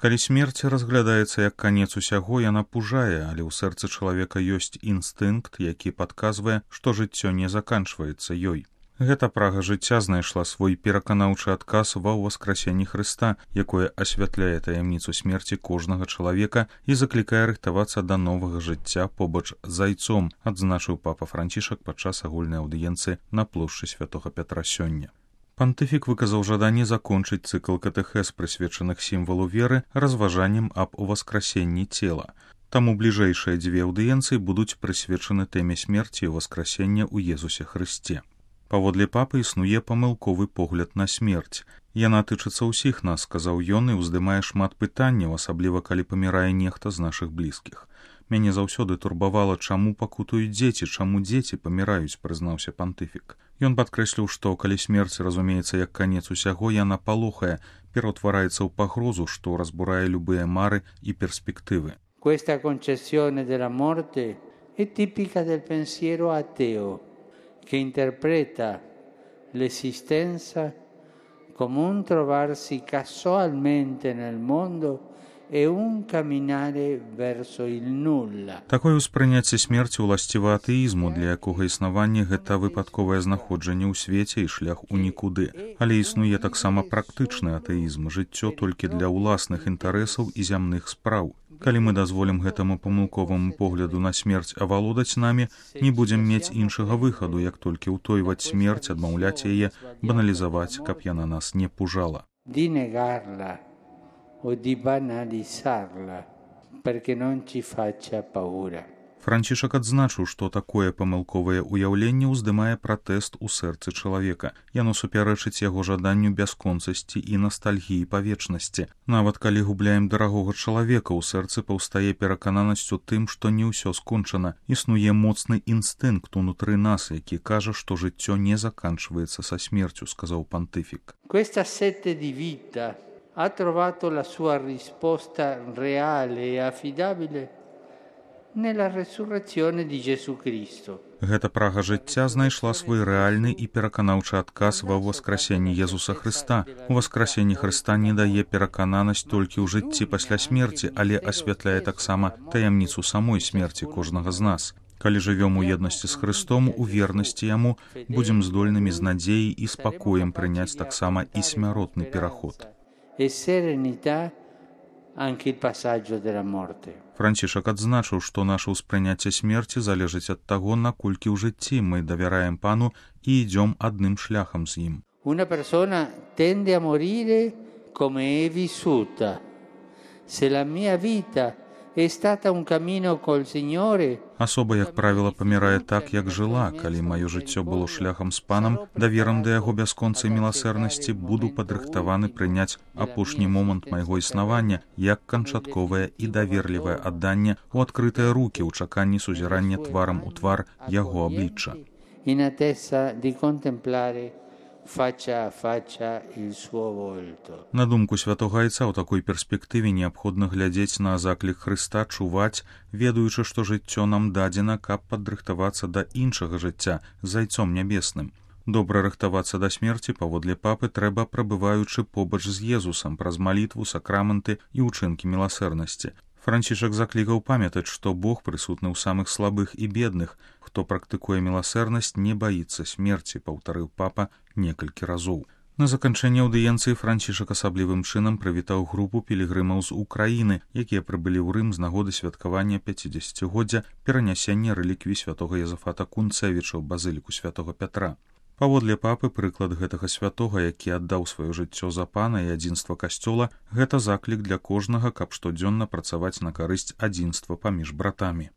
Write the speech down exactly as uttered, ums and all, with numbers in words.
Калі смерць разглядаецца як канец усяго, яна пужае, але ў сэрцы чалавека ёсць інстынкт, які падказвае, што жыццё не заканчваецца ёй. Гэта прага жыцця знайшла свой пераканаўчы адказ ва ўваскрасенні Хрыста, якое асвятляе таямніцу смерці кожнага чалавека і заклікае рыхтавацца да новага жыцця побач з зайцом, адзначыў папа Францішак падчас агульнай аўдыенцыі на плошчы святога Пятра сёння. Пантыфік выказаў жаданне закончыць цыкл катэхез, прысвечаных сімвалу веры, разважаннем аб уваскрасенні цела. Таму бліжэйшыя дзве аўдыенцыі будуць прысвечаны тэме смерці і ўваскрасення ў Езусе Хрысце. Паводле папы існуе памылковы погляд на смерць. Яна тычыцца ўсіх нас, сказаў ён, і ўздымае шмат пытанняў, асабліва калі памірае нехта з нашых блізкіх. Мяне заўсёды турбавала, чаму пакутуюць дзеці, чаму дзеці паміраюць, прызнаўся пантыфік. Ён падкрэсліў, што калі смерць разумеецца як канец усяго, яна палохае, пераўтвараецца ў пагрозу, што разбурае любыя мары і перспектывы. Questa concezione della morte è tipica del pensiero ateo, che interpreta l'esistenza come un trovarsi casualmente nel mondo e un camminare verso il nulla. Такое ўспрыняцце смерці ўласціва атэізму, для якога існаванне гэта выпадковае знаходжанне ў свеце і шлях у нікуды. Але існуе таксама практычны атэізм, жыццё толькі для ўласных інтарэсаў і зямных спраў. Калі мы дазволім гэтаму памылковаму погляду на смерць авалодаць намі, не будзем мець іншага выхаду, як толькі ўтойваць смерць, адмаўляць яе, баналізаваць, каб яна нас не пужала. Di negarla o di banalizzarla perché non ci faccia paura. Францішак адзначыў, што такое памылковае ўяўленне ўздымае пратэст у сэрцы чалавека. Яно супярэчыць яго жаданню бясконцасці і настальгіі па вечнасці. Нават калі губляем дарагога чалавека, у сэрцы паўстае перакананасць у тым, што не ўсё скончана. Існуе моцны інстынкт унутры нас, які кажа, што жыццё не заканчваецца са смерцю, сказаў пантыфік. Questa sete di vita ha trovato la sua risposta reale e affidabile nella resurrezione di Gesù Cristo. Гэта прага жыцця знайшла свой рэальны і пераканаўчы адказ ва ўваскрасенні Езуса Хрыста. Уваскрасенне Хрыста не дае перакананасць толькі ў жыцці пасля смерці, але асвятляе таксама таямніцу самой смерці кожнага з нас. Калі жывём у еднасці з Хрыстом, у вернасці Яму, будзем здольнымі з надзеяй і спакоем прыняць таксама і смяротны пераход. E serenità anche il passaggio della morte. Францішак адзначыў, што наша ўспрыняцце смерці залежыць ад таго, наколькі ў жыцці мы давяраем Пану і ідзём адным шляхам з ім. Una persona tende a morire come è vissuta. Se la mia vita è stata un cammino col Signore, Асоба, як правіла, памірае так, як жыла. Калі маё жыццё было шляхам з Панам, даверам да яго бясконцай міласэрнасці, буду падрыхтаваны прыняць апошні момант майго існавання як канчатковае і даверлівае адданне ў адкрытыя рукі ў чаканні сузірання тварам у твар яго аблічча. in attesa di contemplare faccia a faccia il suo volto. На думку святога айца, у такой перспектыве неабходна глядзець на заклік Хрыста, чуваць, ведаючы, што жыццё нам дадзена, каб падрыхтавацца да іншага жыцця з зайцом нябесным. Добра рыхтавацца да смерці, паводле папы, трэба прабываючы побач з Езусам праз малітву, сакраманты і ўчынкі міласэрнасці. Францішак заклікаў памятаць, што Бог прысутны ў самых слабых і бедных. Хто практыкуе міласэрнасць, не баіцца смерці, паўтарыў папа некалькі разоў. На заканчэнне аўдыенцыі Францішак асаблівым чынам прывітаў групу пілігрымаў з Украіны, якія прыбылі ў Рым з нагоды святкавання пяцідзесяцігоддзя перанясення рэліквій святога Язафата Кунцэвіча ў базыліку святога Пятра. Паводле папы, прыклад гэтага святога, які аддаў сваё жыццё за Пана і адзінства касцёла, гэта заклік для кожнага, каб штодзённа працаваць на карысць адзінства паміж братамі.